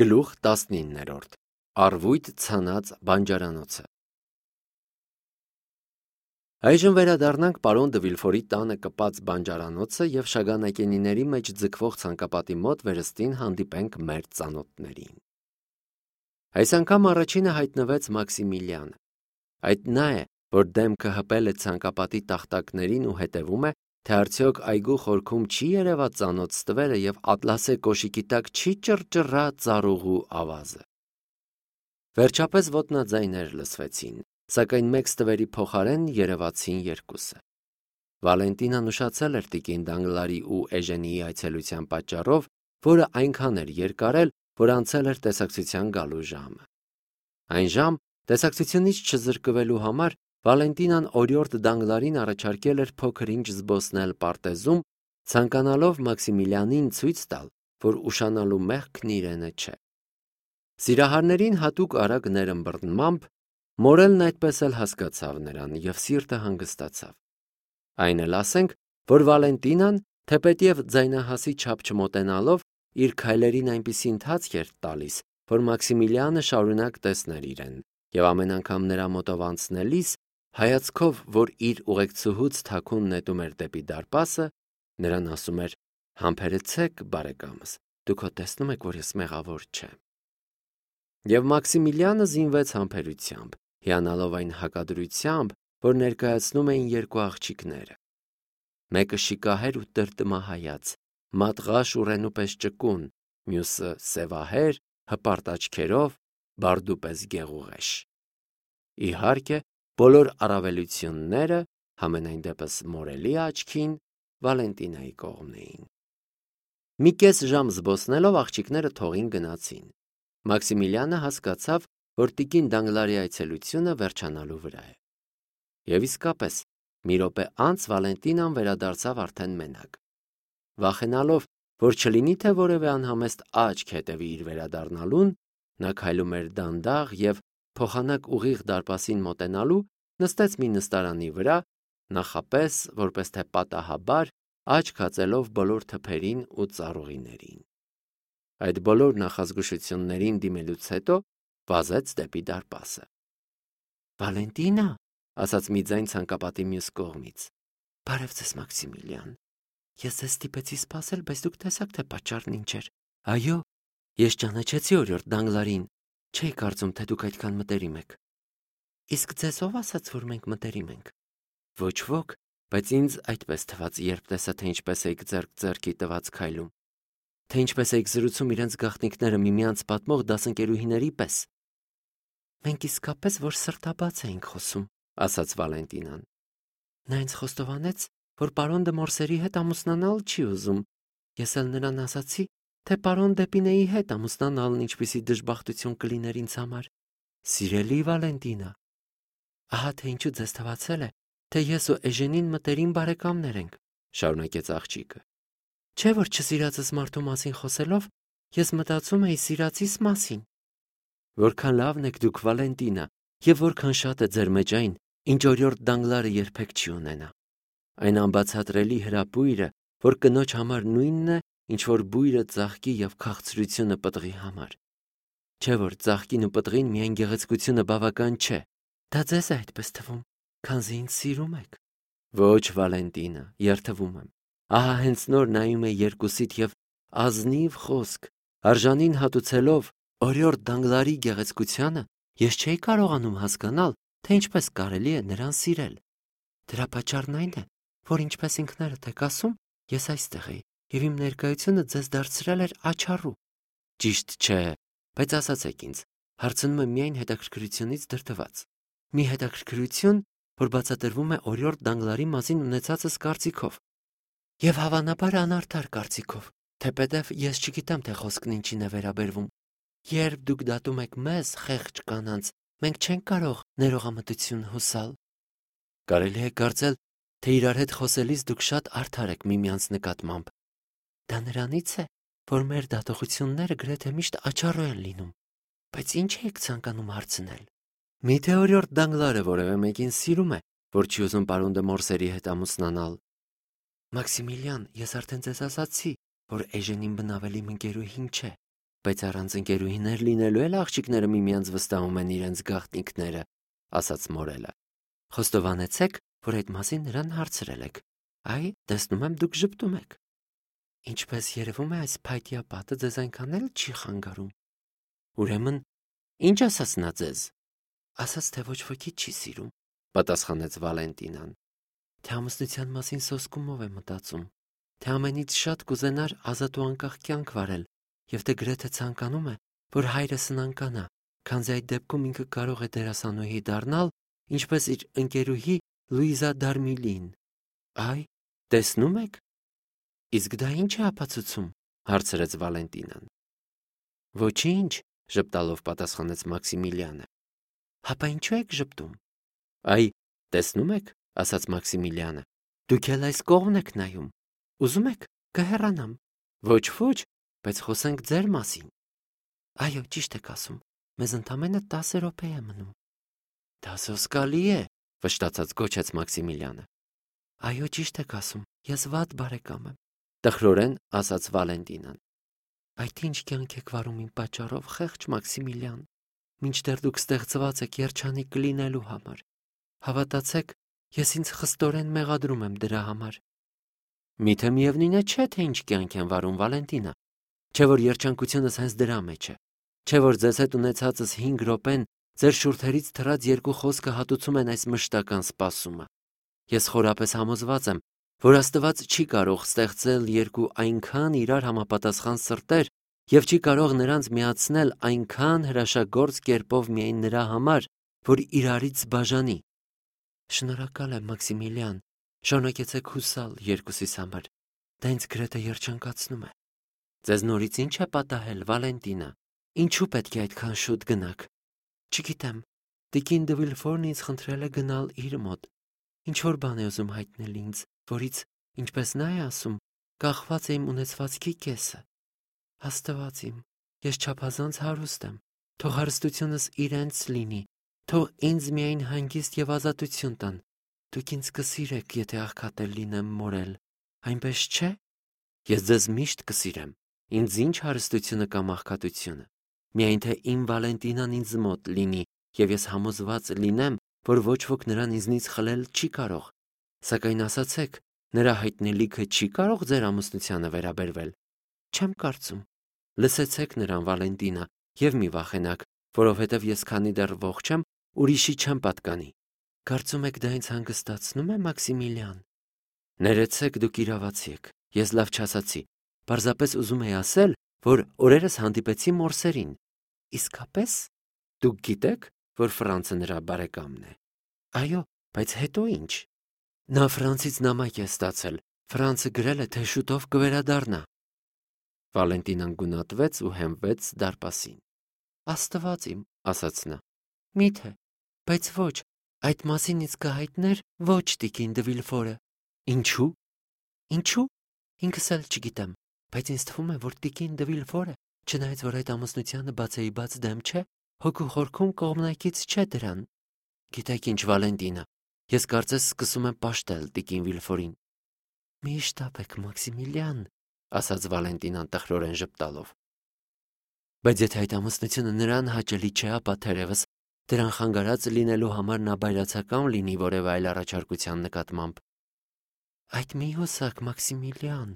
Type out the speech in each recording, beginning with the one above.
Գլուխ 19-րդ Առվույթ ցանած բանջարանոցը Այժմ վերադառնանք պարոն Դը Վիլֆորի տանը կպած բանջարանոցը և շագանակենիների մեջ ձգվող ցանկապատի մոտ վերստին հանդիպենք մեր ծանոթներին։ Այս անգամ առաջինը հայտնվեց Մաքսիմիլիանը։ Այդ նա է, որ դեմքը հպել է ցանկապատի տախտակներին ու հետևում է, թե արդյոք այգու խորքում չի երևա ծանոթ ստվերը և ատլասե կոշիկի տակ չի ճռճռա ծառուղու ավազը։ Վերջապես ոտնաձայներ լսվեցին, սակայն մեկ ստվերի փոխարեն երևացին երկուսը։ Վալենտինան ուշացել էր տիկին Դանգլարի ու Էժենիի այցելության պատճառով, որը այնքան էր երկարել, որ անցել էր տեսակցության գալու ժամը։ Այն ժամ տեսակցությունից չզրկվելու համար Վալենտինան օրիորդ Դանգլարին առաջարկել էր փոքր-ինչ զբոսնել պարտեզում, ցանկանալով Մաքսիմիլիանին ցույց տալ, որ ուշանալու մեղքն իրենը չէ։ Սիրահարներին հատուկ արագ ներըմբռնմամբ Մորելն այդպես էլ հասկացավ նրան և սիրտը հանգստացավ։ Այն էլ ասենք, որ Վալենտինան, թեպետև ձայնահասի չափ չմոտենալով, իր քայլերին այնպիսի ընթացք էր տալիս, որ Մաքսիմիլիանը շարունակ տեսներ իրեն, և ամեն անգամ նրա մոտով անցնելիս, հայացքով, որ իր ուղեկցուհուց թաքուն նետում էր դեպի դարպասը, նրան ասում էր. «Համբերեցեք, բարեկամս, դուք հո տեսնում եք, որ ես մեղավոր չեմ»։ Եվ Մաքսիմիլիանը զինվեց համբերությամբ, հիանալով այն հակադրությամբ, որ ներկայացնում էին երկու աղջիկները։ Մեկը շիկահեր ու տրտմահայաց, մատղաշ ու ռենու պես ճկուն, մյուսը սևահեր, հպարտ աչքերով, բարդու պես գեղուղեշ։ Իհարկե, բոլոր առավելությունները, համենայն դեպս Մորելի աչքին, Վալենտինայի կողմն էին։ Մի կես ժամ զբոսնելով աղջիկները թողին գնացին։ Մաքսիմիլիանը հասկացավ, որ տիկին Դանգլարի այցելությունը վերջանալու վրա է։ Եվ իսկապես, մի րոպե անց Վալենտինան վերադարձավ արդեն մենակ։ Վախենալով, որ չլինի թե որևէ անհամեստ աչք հետևի իր վերադառնալուն, նա քայլում էր դանդաղ և, փոխանակ ուղիղ դարպասին մոտենալու, նստեց մի նստարանի վրա, նախապես, որպես թե պատահաբար, աչք հածելով բոլոր թփերին ու ծառուղիներին։ Այդ բոլոր նախազգուշություններին դիմելուց հետո վազեց դեպի դարպասը։ «Վալենտինա», ասաց մի ձայն ցանկապատի մյուս կողմից։ «Բարև ձեզ, Մաքսիմիլիան։ Ես ձեզ ստիպեցի սպասել, բայց դուք տեսաք, թե պատճառն ինչ էր։ Այո, ես ճանաչեցի օրիորդ Դանգլարին, չէի կարծում, թե դուք այդքան մտերիմ եք»։ «Իսկ ձեզ ով ասաց, որ մենք մտերիմ ենք»։ «Ոչ ոք, բայց ինձ այդպես թվաց, երբ տեսա, թե ինչպես էիք ձեռք ձեռքի տված քայլում, թե ինչպես էիք զրուցում իրենց գաղտնիքները միմյանց պատմող դասընկերուհիների պես»։ «Մենք իսկապես որ սրտաբաց էինք խոսում», ասաց Վալենտինան։ «Նա ինձ խոստովանեց, որ պարոն Դը Մորսերի հետ ամուսնանալ չի ուզում։ Ես էլ նրան ասացի, թե պարոն Դեպինեի հետ ամուսնանալն ինչպիսի դժբախտություն կլիներ ինձ համար։ Սիրելի Վալենտինա, ահա թե ինչու ձեզ թվացել է, թե ես ու Էժենին մտերիմ բարեկամներ ենք», շարունակեց աղջիկը։ «Չէ՞ որ չսիրածս մարդու մասին խոսելով, ես մտածում էի սիրածիս մասին։ Որքան լավն եք դուք, Վալենտինա, և որքան շատ է ձեր մեջ այն, ինչ օրիորդ Դանգլարը երբեք չի ունենա։ Այն անբացատրելի հրապույրը, որ կնոջ համար նույնն է, ինչ որ բույրը ծաղկի և քաղցրությունը պտղի համար։ Չէ՞ որ ծաղկին ու պտղին միայն գեղեցկությունը բավական չէ։ Դա ձեզ է այդպես թվում, քանզի ինձ սիրում եք»։ «Ոչ, Վալենտինա, երդվում եմ։ Ահա հենց նոր նայում էի երկուսիդ և ազնիվ խոսք, արժանին հատուցելով օրիորդ Դանգլարի գեղեցկությանը, ես չէի կարողանում հասկանալ, թե ինչպես կարելի է նրան սիրել։ Դրա պատճառն այն է, որ ինչպես ինքներդ եք ասում, ես այստեղ էի, և իմ ներկայությունը ձեզ դարձրել էր աչառու»։ «Ճիշտ չէ, բայց ասացեք ինձ, հարցնում եմ միայն հետաքրքրությունից դրդված։ Մի հետաքրքրություն, որ բացատրվում է օրիորդ Դանգլարի մասին ունեցածս կարծիքով։ Եվ հավանաբար անարդար կարծիքով, թեպետև ես չգիտեմ, թե խոսքն ինչին է վերաբերվում։ Երբ դուք դատում եք մեզ, խեղճ կանանց, մենք չենք կարող ներողամտություն հուսալ։ Կարելի է կարծել, թե իրար հետ խոսելիս դուք շատ արդար եք միմյանց նկատմամբ։ Դա նրանից է, որ մեր դատողությունները գրեթե միշտ աչառու են լինում։ Բայց ինչ եք ցանկանում հարցնել։ Միթե օրիորդ Դանգլարը որևէ մեկին սիրում է, որ չի ուզում պարոն Դը Մորսերի հետ ամուսնանալ։ Մաքսիմիլիան, ես արդեն ձեզ ասացի, որ Էժենին բնավելի իմ ընկերուհին չէ։ Բայց առանց ընկերուհիներ լինելու էլ աղջիկները միմյանց վստահում են իրենց գաղտնիքները, ասաց Մորելը։ Խոստովանեցեք, որ այդ մասին նրան հարցրել եք։ Այ, տեսնում եմ դուք ժպտում եք։ Ինչպես երևում է, այս փայտյա պատը ձեզ այնքան էլ չի խանգարում։ Ուրեմն, ինչ ասաց նա ձեզ։ Ասաց, թե ոչ ոքի չի սիրում, պատասխանեց Վալենտինան։ Թե ամուսնության մասին սոսկումով է մտածում, թե ամենից շատ կուզենար ազատ ու անկախ կյանք վարել, եւ թե գրեթե ցանկանում է, որ հայրը սնանկանա, քանզի այդ դեպքում ինքը կարող է դերասանուհի դառնալ, ինչպես իր ընկերուհի Լուիզա Դարմիլին։ Այ, տեսնում եք։ Իսկ դա ինչ է ապացուցում, հարցրեց Վալենտինան։ Ոչինչ, ժպտալով պատասխանեց Մաքսիմիլիանը։ Հապա ինչու եք ժպտում։ Այ, տեսնում եք, ասաց Մաքսիմիլիանը, դուք էլ այս կողմն եք նայում։ Ուզում եք, կհեռանամ։ Ոչ, բայց խոսենք ձեր մասին։ Այո, ճիշտ եք ասում, մեզ ընդամենը 10 րոպե է մնում։ Դա սոսկալի է, վշտացած գոչեց Մաքսիմիլիանը։ Այո, ճիշտ եք ասում, ես վատ բարեկամ եմ, տխրորեն ասաց Վալենտինան։ Այդ ինչ կյանք եք վարում իմ պատճառով, խեղճ Մաքսիմիլիան, մինչդեռ դուք ստեղծված եք երջանիկ կլինելու համար։ Հավատացեք, ես ինձ խստորեն մեղադրում եմ դրա համար։ Միթե միևնույն է չէ, թե ինչ կյանք են վարում, Վալենտինա, չէ որ երջանկությունս հենց դրա մեջ է, չէ որ ձեզ հետ ունեցածս 5 րոպեն ձեր շուրթերից թռած երկու խոսքը հատուցում են այս մշտական սպասումը։ Ես խորապես համոզված եմ, որ Աստված չի կարող ստեղծել երկու այնքան իրար համապատասխան սրտեր եւ չի կարող նրանց միացնել այնքան հրաշագործ կերպով միայն նրա համար, որ իրարից բաժանի։ Շնորհակալ եմ, Մաքսիմիլիան, շարունակեցեք հուսալ երկուսիս համար, դա ինձ գրեթե երջանկացնում է։ Ձեզ նորից ինչ է պատահել, Վալենտինա, ինչու պետք է այդքան շուտ գնաք։ Չգիտեմ, Տիկին դե Վիլֆորն ինձ խնդրել է գնալ իր մոտ, ինչ-որ բան է ուզում հայտնել ինձ, որից, ինչպես նա է ասում, կախված է իմ ունեցվածքի կեսը։ Աստված իմ, ես չափազանց հարուստ եմ, թող հարստությունս իրենց լինի, թող ինձ միայն հանգիստ եւ ազատություն տան։ Դուք ինձ կսիրեք, եթե աղքատել լինեմ մորել, այնպես չէ։ Ես ձեզ միշտ կսիրեմ, ինձ ինչ հարստությունը կամ աղքատությունը, միայն թե իմ Վալենտինան ինձ մոտ լինի, եւ ես համոզված լինեմ, որ ոչ ոք նրան ինձնից խլել չի կարող։ Սակայն ասացեք, նրա հայտնելիքը չի կարող ձեր ամուսնությանը վերաբերվել։ Չեմ կարծում։ Լսեցեք նրան, Վալենտինա, եւ մի վախենաք, որովհետեւ ես քանի դեռ ողջ եմ, ուրիշի չեմ պատկանի։ Կարծում եք դա ինձ հանգստացնում է, Մաքսիմիլիան։ Ներեցեք, դուք իրավացի եք, ես լավ չասացի, պարզապես ուզում էի ասել, որ օրերս հանդիպեցի Մորսերին։ Իսկապես, դուք գիտեք, որ Ֆրանցը նրա բարեկամն է։ Այո, բայց հետո ինչ։ Նա Ֆրանցից նամակ է ստացել, Ֆրանցը գրել է, թե շուտով կվերադառնա։ Վալենտինան գունատվեց ու հենվեց դարպասին։ Աստված իմ, ասաց նա։ Միթե, բայց ոչ, այդ մասին ինձ կհայտներ ոչ Տիկին դե Վիլֆորը։ Ինչու։ Ինչու։ Ինքս էլ չգիտեմ, բայց ինձ թվում է, որ Տիկին դե Վիլֆորը, չնայած որ այդ ամուսնությանը բացեի բաց դեմ չէ, հոգու խորքում կողմնակից չէ դրան։ Գիտեք ինչ, Վալենտինա, ես կարծես սկսում եմ պաշտել Տիկին Վիլֆորին։ Մի շտապեք, Մաքսիմիլիան, ասաց Վալենտինան տխրորեն ժպտալով։ Բայց եթե այդ ամուսնությունը նրան հաճելի չէ, ապա թերևս դրան խանգարած լինելու համար նա բայրացական լինի որևէ այլ առաջարկության նկատմամբ։ Այդ մի հոսակ, Մաքսիմիլիան,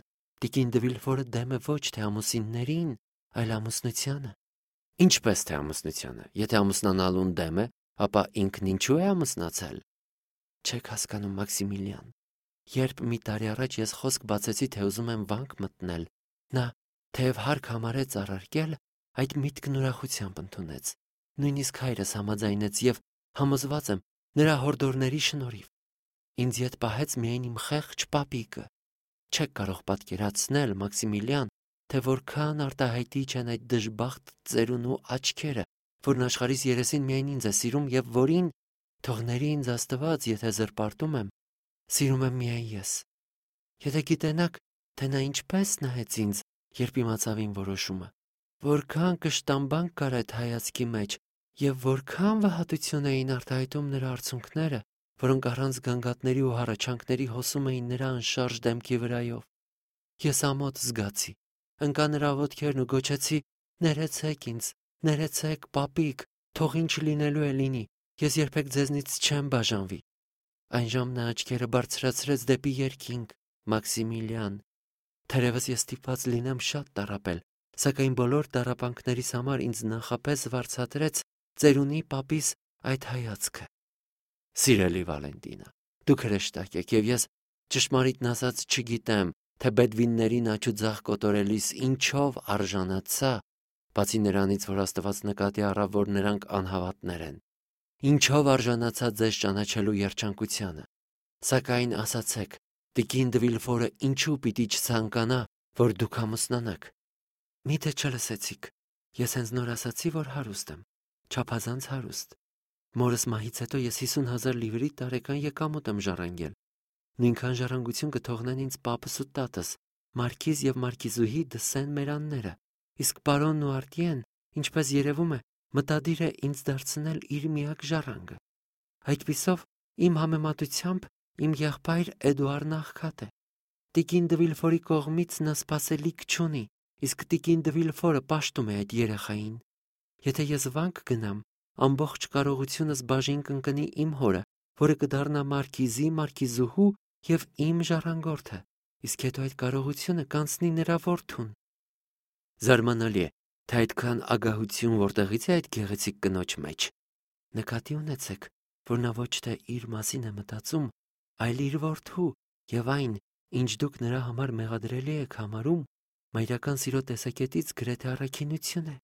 Տիկին դե Վիլֆորը դեմ է ոչ թե ամուսիններին, այլ ամուսնությանը։ Ինչպես թե ամուսնությանը, եթե ամուսնանալուն դեմ է, ապա ինքն ինչու է ամուսնացել։ Չեք հասկանում, Մաքսիմիլիան։ Երբ մի տարի առաջ ես խոսք բացեցի, թե ուզում եմ վանք մտնել, նա, թեև հարկ համարեց առարկել, այդ միտքն ուրախությամբ ընդունեց։ Նույնիսկ հայրս համաձայնեց եւ համոզված եմ նրա հորդորների շնորհիվ։ Ինձ ետ պահեց միայն իմ խեղճ պապիկը։ Չեք կարող պատկերացնել, Մաքսիմիլիան, թե որքան արտահայտիչ են այդ դժբախտ ծերուն ու աչքերը, որն աշխարհիս երեսին միայն ինձ է սիրում եւ որին, թողների ինձ Աստված, եթե զրպարտում եմ, սիրում եմ միայն ես։ Եթե գիտենաք, թե նա ինչպես նայեց ինձ, երբ իմացավ իմ որոշումը, որքան կշտամբանք կար այդ հայացքի մեջ եւ որքան վհատություն էին արտահայտում նրա արցունքները, որոնք առանց գանգատների ու հառաչանքների հոսում էին նրա անշարժ դեմքի վրայով։ Ես ամոթ զգացի, ընկա նրա ոտքերն ու գոչեցի. Ներեցեք ինձ, ներեցեք, պապիկ, թող ինչ լինելու է լինի, ես երբեք ձեզնից չեմ բաժանվի։ Այն ժամն նա աչքերը բարձրացրեց դեպի երկինք, Մաքսիմիլիան։ Թերևս ես ստիպված լինեմ շատ տառապել, սակայն բոլոր տառապանքներիս համար ինձ նախապես վարձատրեց ծերունի պապիս այդ հայացքը։ Սիրելի Վալենտինա, դուք հրեշտակ եք, եւ ես ճշմարիտն ասած չգիտեմ, թե բեդվիններին աչուձախ կոտորելիս ինչով արժանացա, բացի նրանից, որ Աստված նկատի առավ, որ նրանք անհավատներ են, ինչով արժանացա ձեզ ճանաչելու երջանկությանը, սակայն ասացեք, տիկին դը Վիլֆորը ինչու պիտի չցանկանա, որ դուք ամուսնանաք։ Միթե չլսեցիք, ես հենց նոր ասացի, որ հարուստ եմ, չափազանց հարուստ։ Մորս մահից հետո ես 50,000 լիվրի տարեկան եկամուտ եմ ժառանգել։ Նույնքան ժառանգություն կթողնեն ինձ պապս ու տատս, մարքիզ եւ մարքիզուհի դը Սեն-Մերանները, իսկ պարոնն ու Արտիեն, ինչպես երևում է, մտադիր է ինձ դարձնել իր միակ ժառանգը։ Այդպիսով, իմ համեմատությամբ իմ եղբայր Էդուարդն աղքատ է։ Տիկին դը Վիլֆորի կողմից նա սպասելիք չունի, իսկ տիկին դը Վիլֆորը պաշտում է այդ երեխային։ Եթե ես վանք գնամ, ամբողջ կարողությունս բաժին կընկնի իմ հորը, որը կդառնա մարքիզի, մարքիզուհու եւ իմ ժառանգորդը, իսկ հետո այդ կարողությունը կանցնի նրա որդուն։ Զարմանալի է, թե այդքան ագահություն որտեղից է այդ գեղեցիկ կնոջ մեջ։ Նկատի ունեցեք, որ նա ոչ թե իր մասին է մտածում, այլ իր որդու եւ այն, ինչ դուք նրա համար մեղադրելի եք համարում, մայրական սիրո տեսակետից գրեթե առաքինություն է։